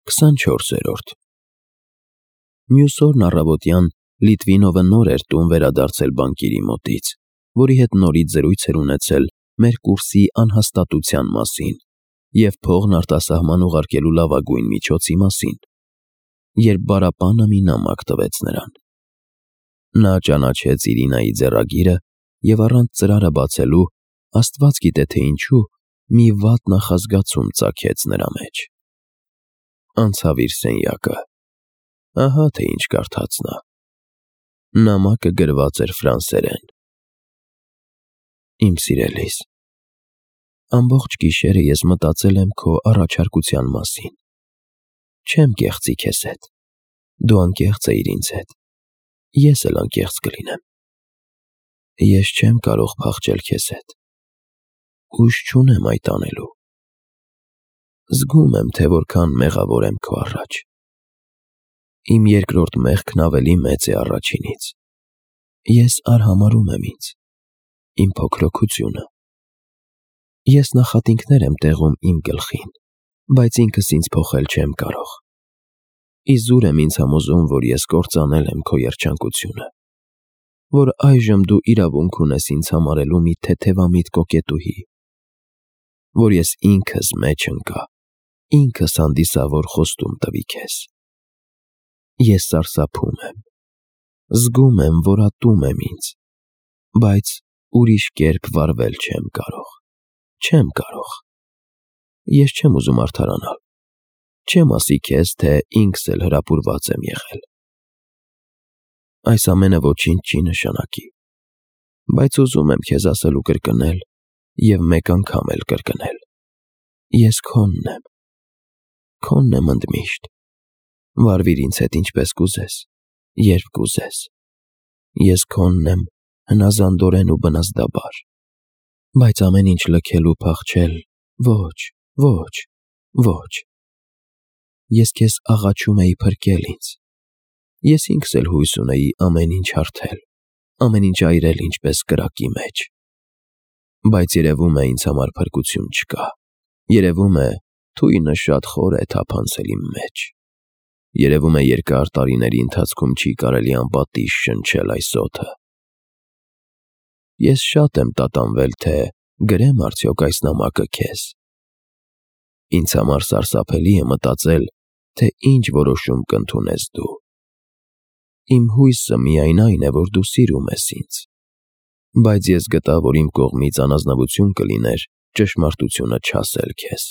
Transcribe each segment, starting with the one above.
24-րդ Մյուս օրն առավոտյան Լիտվինովը նոր էր տուն վերադարձել բանկիրի մոտից, որի հետ նորից զրույց էր ունեցել մեր կուրսի անհաստատության մասին և փողն արտասահման ուղարկելու լավագույն միջոցի մասին, երբ բառապանը մի նամակ տվեց նրան։ Նա ճանաչեց Իրինայի ձեռագիրը և առանց ծրարը բացելու, Աստված գիտե թե ինչու, մի վատ նախազգացում ծագեց նրա մեջ։ Անցավ իր սենյակը։ Ահա թե ինչ կարդաց նա։ Նամակը գրված էր ֆրանսերեն. Իմ սիրելիս, ամբողջ գիշերը ես մտածել եմ քո առաջարկության մասին։ Չեմ կեղծի քեզ հետ։ Դու անկեղծ էիր ինձ հետ։ Ես էլ անկեղծ կլինեմ։ Ես չեմ կարող փախչել քեզ հետ։ Ուժ չունեմ այդ անելու։ Զգում եմ, թե որքան մեղավոր եմ քո առաջ։ Իմ երկրորդ մեղքն ավելի մեծ է առաջինից։ Ես արհամարհում եմ ինձ, իմ փոքրությունը։ Ես նախատինքներ եմ տեղում իմ գլխին, բայց ինքս ինձ փոխել չեմ կարող։ Իզուր եմ ինձ համոզում, որ ես կործանել եմ քո երջանկությունը, որ այժմ դու իրավունք ունես ինձ համարելու մի թեթևամիտ կոկետուհի, որ ես ինքս մեջ ընկա, ինքս հանդիսավոր խոստում տվի քեզ։ Ես սարսափում եմ, զգում եմ, որ ատում եմ ինձ, բայց ուրիշ կերպ վարվել չեմ կարող, չեմ կարող։ Ես չեմ ուզում արդարանալ, չեմ ասի քեզ, թե ինքս էլ հրապուրված եմ եղել։ Այս ամենը ոչինչ չի նշանակի, բայց ուզում եմ քեզ ասել ու կրկնել և մեկ անգամ էլ կրկնել. ես քոնն եմ ընդմիշտ, վարվիր ինձ հետ ինչպես կուզես, երբ կուզես, ես քոնն եմ հնազանդորեն ու բնազդաբար, բայց ամեն ինչ լքել ու փախչել, ոչ, ոչ, ոչ, ես քեզ աղաչում էի փրկել ինձ, ես ինքս էլ հույս ունեի ամեն ինչ հարթել, ամեն ինչ այրել ինչպես կրակի մեջ, բայց երևում է ինձ համար փրկություն չկա, երևում է թույնը շատ խոր է թափանցել իմ մեջ, երևում է երկար տարիների ընթացքում չի կարելի անպատիժ շնչել այս օդը։ Ես շատ եմ տատանվել, թե գրեմ արդյոք այս նամակը քեզ։ Ինձ համար սարսափելի է մտածել, թե ինչ որոշում կընդունես դու։ Իմ հույսը միայն այն է, որ դու սիրում ես ինձ, բայց ես գտա, որ իմ կողմից անազնվություն կլիներ ճշմարտությունը չասել քեզ։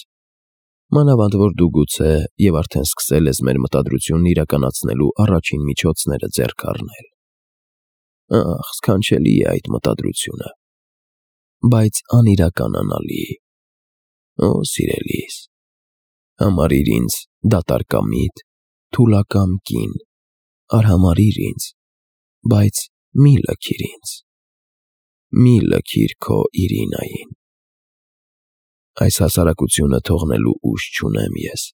Մանավանդ որ դու գուցե և արդեն սկսել ես մեր մտադրությունն իրականացնելու առաջին միջոցները ձեռք առնել։ Ախ, սքանչելի է այդ մտադրությունը, բայց անիրականանալի։ Օ, սիրելիս, համարիր ինձ դատարկամիտ, թուլակամ կին, արհամարհիր ինձ, բայց մի լքիր ինձ, մի լքիր քո Իրինային։ Այս հասարակությունը թողնելու ուժ չունեմ ես,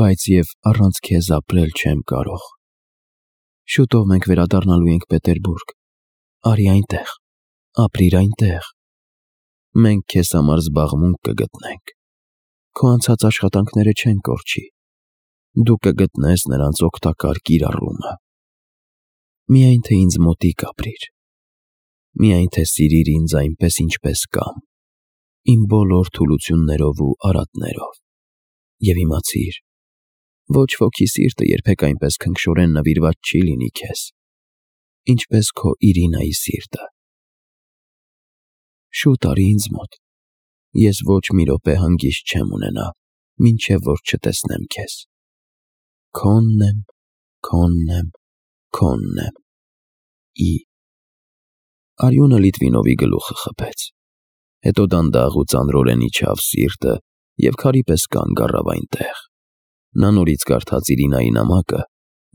բայց և առանց քեզ ապրել չեմ կարող։ Շուտով մենք վերադառնալու ենք Պետերբուրգ, արի այնտեղ, ապրիր այնտեղ։ Մենք քեզ համար զբաղմունք կգտնենք, քո անցած աշխատանքները չեն կորչի, դու կգտնես նրանց օգտակար կիրառումը։ Միայն թե ինձ մոտիկ ապրիր, միայն թե սիրիր ինձ այնպես, ինչպես կամ, իմ բոլոր թուլություններով ու արատներով, և իմացիր, ոչ ոքի սիրտը երբեք այնպես քնքշորեն նվիրված չի լինի քեզ, ինչպես քո Իրինայի սիրտը։ Շուտ արի ինձ մոտ, ես ոչ մի րոպե հանգիստ չեմ ունենա, մինչև որ չտեսնեմ քեզ։ Քոնն եմ, քոնն եմ, քոնն եմ, Ի։ Արյունը Լիտվինովի գլուխը խփեց, հետո դանդաղ ու ծանրորեն իջավ սիրտը և քարի պես կանգ առավ այնտեղ։ Նա նորից կարդաց Իրինայի նամակը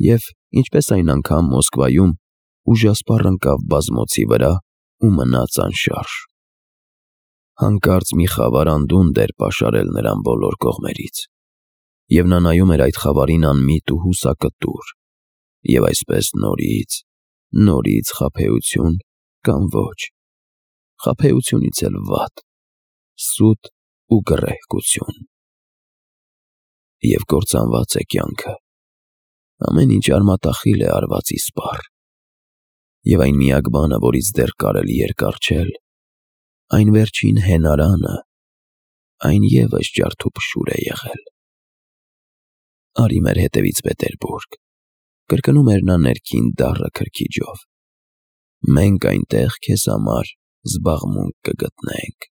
և, ինչպես այն անգամ Մոսկվայում, ուժասպառ ընկավ բազմոցի վրա ու մնաց անշարժ։ Հանկարծ մի խավար անդունդ էր պաշարել նրան բոլոր կողմերից, և նա նայում էր այդ խավարին անմիտ ու հուսակտուր, և այսպես նորից խաբեություն կամ ոչ, խաբեությունից էլ վատ, սուտ ու գռեհկություն։ և կործանված է կյանքը։ Ամեն ինչ արմատախիլ է արվածի սպառ, և այն միակ բանը, որից դեռ կարելի էր կառչել, այն վերջին հենարանը, այն ևս ջարդուփշուր է եղել։ «Արի մեր հետևից Պետերբուրգ», կրկնում էր նա ներքին դառը քրքիջով։ «Մենք այնտեղ քեզ համար զբաղմունք կգտնենք»։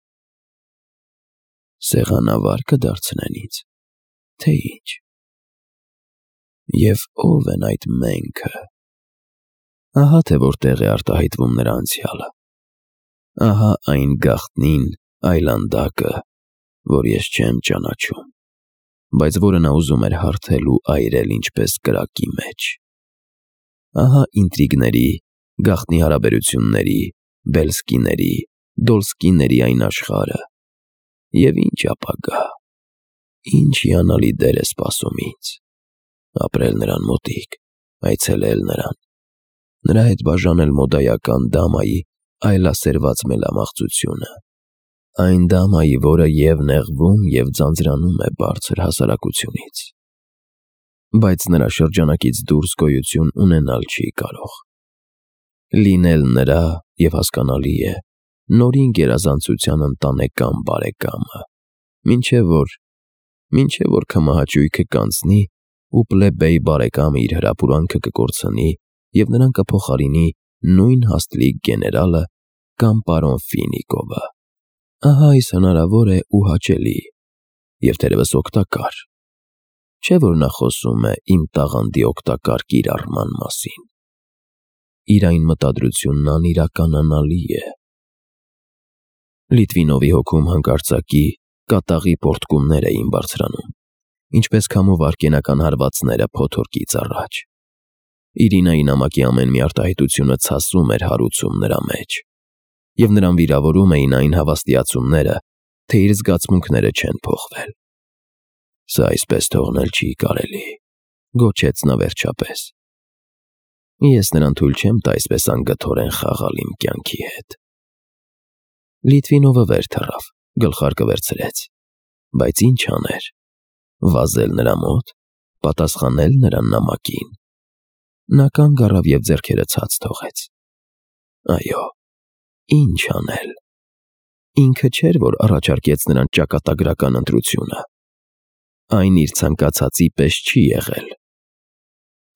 Սեղանավա՞ր կդարձնեն ինձ, թե ինչ։ Եվ ո՞վ են այդ «մենք»-ը։ Ահա թե որտեղ է արտահայտվում նրա անցյալը։ Ահա այն գաղտնին այլանդակը, որ ես չեմ ճանաչում, բայց որը նա ուզում էր հարթել ու այրել ինչպես կրակի մեջ։ Ահա ինտրիգների, գաղտնի հարաբերությունների, Բելսկիների, Դոլսկիների այն աշխարհը։ Եվ ինչ ապագա, ինչ հիանալի դեր է սպասում ինձ։ Ապրել նրան մոտիկ, այցելել նրան, նրա հետ բաժանել մոդայական դամայի այլասերված մելամաղձությունը, այն դամայի, որը և նեղվում, և ձանձրանում է բարձր հասարակությունից, բայց նրա շրջանակից դուրս գոյություն ունենալ չի կարող։ Լինել նրա, և հասկանալի է, նորին գերազանցության ընտանեկան բարեկամը, մինչև որ քմահաճույքը կանցնի ու պլեբեյ բարեկամը իր հրապուրանքը կկորցնի և նրան կփոխարինի նույն հաստլիկ գեներալը կամ պարոն Ֆինիկովը։ Ահա այս հնարավոր է ու հաճելի, և թերևս օգտակար, չէ՞ որ նա խոսում է իմ տաղանդի օգտակար կիրառման մասին։ Իր այն մտադրությունն անիրականանալի է։ Լիտվինովի հոգում հանկարծակի կատաղի պոռթկումներ էին բարձրանում, ինչպես քամու վայրկենական հարվածները փոթորկից առաջ։ Իրինայի նամակի ամեն մի արտահայտությունը ցասում էր հարուցում նրա մեջ, և նրան վիրավորում էին այն հավաստիացումները, թե իր զգացմունքները չեն փոխվել։ «Սա այսպես թողնել չի կարելի», գոչեց նա վերջապես։ «Ես նրան թույլ չեմ տա այսպես անգթորեն խաղալ իմ կյանքի հետ»։ Լիտվինովը վեր թռավ, գլխարկը վերցրեց։ Բայց ինչ աներ։ Վազել նրա մոտ, պատասխանել նրա նամակին։ Նա կանգ առավ և ձեռքերը ցած թողեց։ Այո, ինչ անել։ Ինքը չէր, որ առաջարկեց նրան ճակատագրական ընտրությունը։ Այն իր ցանկացածի պես չի եղել։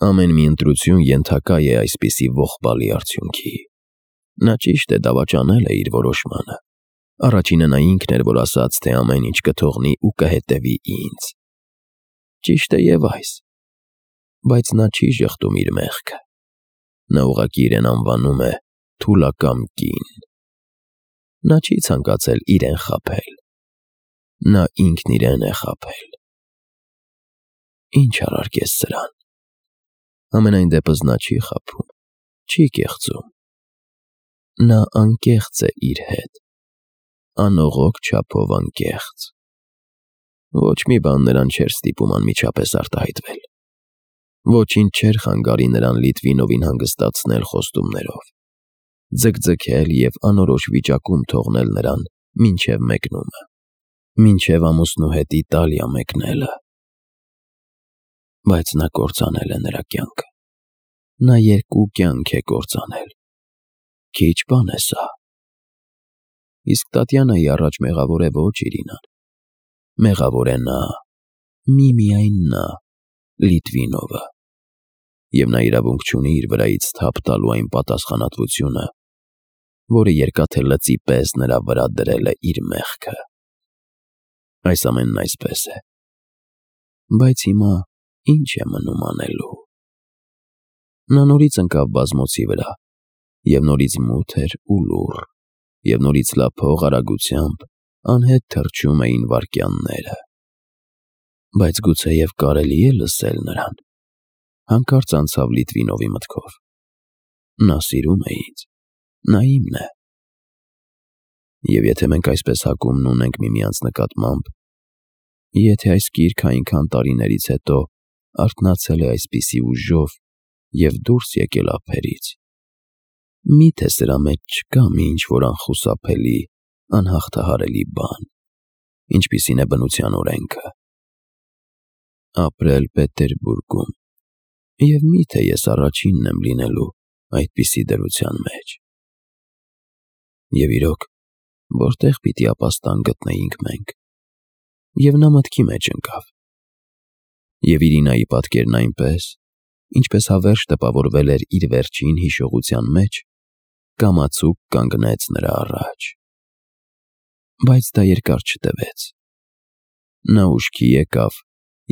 Ամեն մի ընտրություն ենթակա է այսպիսի ողբալի արդյունքի։ Նա ճիշտ է դավաճանել է իր որոշմանը։ Առաջինը նա ինքն էր, որ ասաց, թե ամեն ինչ կթողնի ու կհետևի ինձ։ Ճիշտ է և այս։ Բայց նա չի ժխտում իր մեղքը։ Նա ուղղակի իրեն անվանում է թուլակամ կին։ Նա չի ցանկացել իրեն խաբել։ Նա ինքն իրեն է խաբել։ Ինչ առարկես սրան։ Համենայն դեպս նա չի խաբում, չի կեղծում։ Նա անկեղծ է իր հետ, անողոք չափով անկեղծ։ Ոչ մի բան նրան չէր ստիպում անմիջապես արտահայտվել։ Ոչինչ չէր խանգարի նրան Լիտվինովին հանգստացնել խոստումներով, ձգձգել և անորոշ վիճակում թողնել նրան մինչև մեկնումը, մինչև ամուսնու հետ Իտալիա մեկնելը։ Բայց նա կործանել է նրա կյանքը։ Նա 2 կյանք է կործանել։ Քիչ բան է սա։ Իսկ Տատյանայի առաջ մեղավոր է ոչ Իրինան։ Մեղավոր է նա, միմիայն նա, Լիտվինովը։ Եվ նա իրավունք չունի իր վրայից թափ տալու այն պատասխանատվությունը, որը երկաթե լծի պես նրա վրա դրել է իր մեղքը։ Այս ամենն այսպես է։ Բայց հիմա ինչ է մնում անելու։ Նա նորից ընկավ բազմոցի վրա, և նորից մութ էր ու լուռ, և նորից լափող արագությամբ անհետ թռչում էին վայրկյանները։ Բայց գուցեև կարելի է լսել նրան։ Հանկարծ անցավ Լիտվինովի մտքով։ Նա սիրում է ինձ, նա իմն է։ Եվ եթե մենք այսպես հակումն ունենք միմյանց նկատմամբ, եթե այս գիրքը այնքան տարիներից հետո արթնացել է այսպիսի ուժով և դուրս եկել ափերից, միթե սրա մեջ չկա մի ինչ-որ անխուսափելի, անհաղթահարելի բան, ինչպիսին է բնության օրենքը։ Ապրել Պետերբուրգում, և միթե ես առաջինն եմ լինելու այդպիսի դրության մեջ։ Եվ իրոք, որտեղ պիտի ապաստան գտնեինք մենք։ Եվ նա մտքի մեջ ընկավ։ Եվ Իրինայի պատկերն այնպես, ինչպես հավերժ տպավորվել էր իր վերջին հիշողության մեջ, կամացուկ կանգնեց նրա առաջ։ Բայց դա երկար չտևեց։ Նա ուշքի եկավ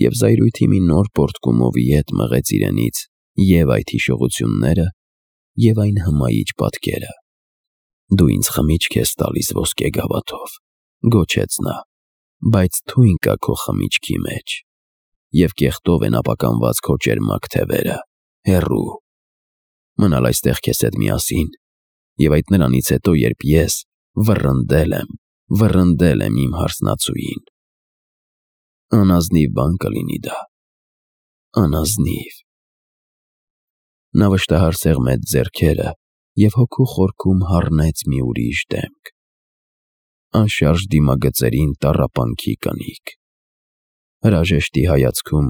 և զայրույթի մի նոր պոռթկումովի հետ մղեց իրենից և այդ հիշողությունները, և այն հմայիչ պատկերը։ «Դու ինձ խմիչք ես տալիս ոսկե գավաթով», գոչեց նա, «բայց թույն կա քո խմիչքի մեջ, և կեղտով են ապականված քո ճերմակ թևերը, հեռու։ Մնալ այստեղ քեզ հետ միասին, և այդ նրանից հետո, երբ ես վռնդել եմ իմ հարսնացուին։ Անազնիվ բան կլինի դա, անազնիվ»։ Նա վշտահար սեղմեց ձեռքերը և հոգու խորքում հառնեց մի ուրիշ դեմք։ Անշարժ դիմագծերին տառապանքի կնիկ, հրաժեշտի հայացքում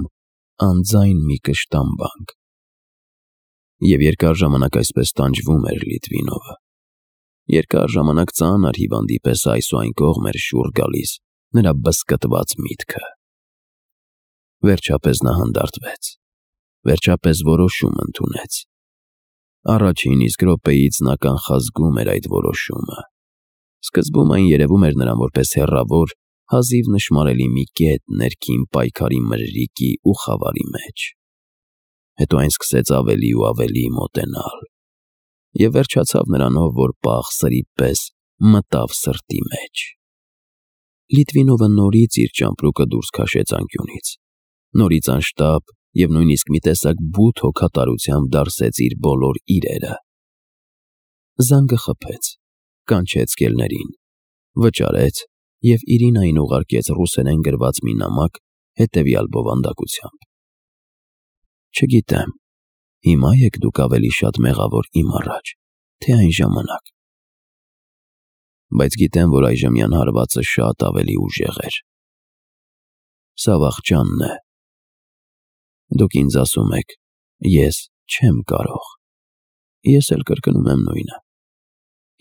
անձայն մի կշտամբանք։ Եվ երկար ժամանակ այսպես տանջվում էր Լիտվինովը։ Երկար ժամանակ ծանր հիվանդի պես այս ու այն կողմ էր շուռ գալիս նրա բզկտված միտքը։ Վերջապես նա հանդարտվեց, վերջապես որոշում ընդունեց։ Առաջին իսկ րոպեից նա կանխազգում էր այդ որոշումը։ Սկզբում այն երևում էր նրան որպես հեռավոր, հազիվ նշմարելի մի կետ ներքին պայքարի մրրիկի ու խավարի մեջ։ Հետո այն սկսեց ավելի ու ավելի մոտենալ, և վերջացավ նրանով, որ պաղ սրի պես մտավ սրտի մեջ։ Լիտվինովը նորից իր ճամպրուկը դուրս քաշեց անկյունից, նորից անշտապ և նույնիսկ մի տեսակ բութ հոգատարությամբ դարսեց իր բոլոր իրերը։ Զանգը խփեց, կանչեց կելներին, վճարեց և Իրինային ուղարկեց ռուսերեն գրված մի նամակ հետևյալ բովանդակությամբ. «Չգիտեմ, հիմա եք դուք ավելի շատ մեղավոր իմ առաջ, թե այն ժամանակ, բայց գիտեմ, որ այժմյան հարվածը շատ ավելի ուժեղ էր։ Սա վախճանն է։ Դուք ինձ ասում եք, ես չեմ կարող։ Ես էլ կրկնում եմ նույնը.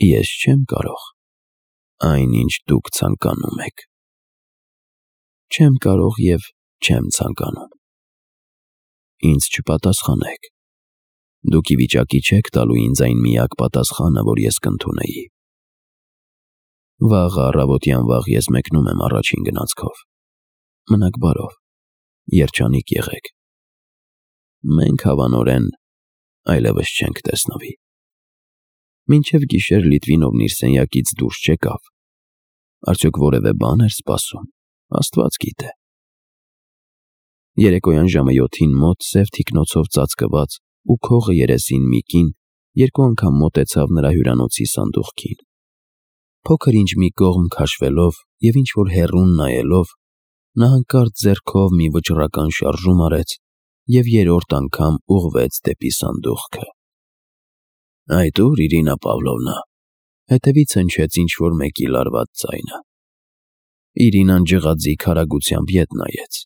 ես չեմ կարող այն, ինչ դուք ցանկանում եք։ Չեմ կարող և չեմ ցանկանում։ Ինձ չպատասխանեք։ Դուք ի վիճակի չեք տալու ինձ այն միակ պատասխանը, որ ես կընդունեի։ Վաղը առավոտյան վաղ ես մեկնում եմ առաջին գնացքով։ Մնաք բարով, երջանիկ եղեք։ Մենք հավանորեն այլևս չենք տեսնվի»։ Մինչև գիշեր Լիտվինովն իր սենյակից դուրս չեկավ։ Արդյոք որևէ բան էր սպասում, Աստված գիտե։ Երեկոյան ժամը 7-ին մոտ սև թիկնոցով ծածկված ու քողը երեսին մի կին երկու անգամ մոտեցավ նրա հյուրանոցի սանդուղքին։ Փոքր-ինչ մի կողմ քաշվելով և ինչ-որ հեռուն նայելով, նա հանկարծ ձեռքով մի վճռական շարժում արեց և երրորդ անգամ ուղղվեց դեպի սանդուղքը։ «Այդ ո՞ւր, Իրինա Պավլովնա», հետևից հնչեց ինչ-որ մեկի լարված ձայնը։ Իրինան ջղաձիգ արագությամբ ետ նայեց։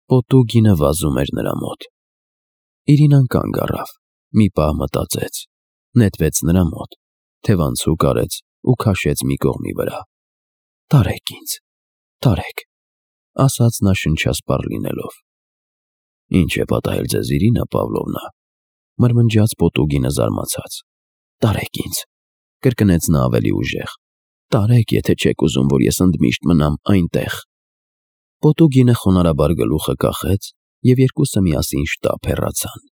Պոտուգինը վազում էր նրա մոտ։ Իրինան կանգ առավ, մի պահ մտածեց, նետվեց նրա մոտ, թևանցուկ արեց ու քաշեց մի կողմի վրա։ «Տարեք ինձ, տարեք», ասաց նա շնչասպառ լինելով։ «Ինչ է պատահել ձեզ, Իրինա Պավլովնա», մրմնջաց Պոտուգինը զարմացած։ «Տարեք ինձ», կրկնեց նա ավելի ուժեղ, «տարեք, եթե չեք ուզում, որ ես ընդմիշտ մնամ այնտեղ»։ Պոտուգինը խոնարհաբար գլուխը կախեց, և երկուսը միասին շտապ հեռացան։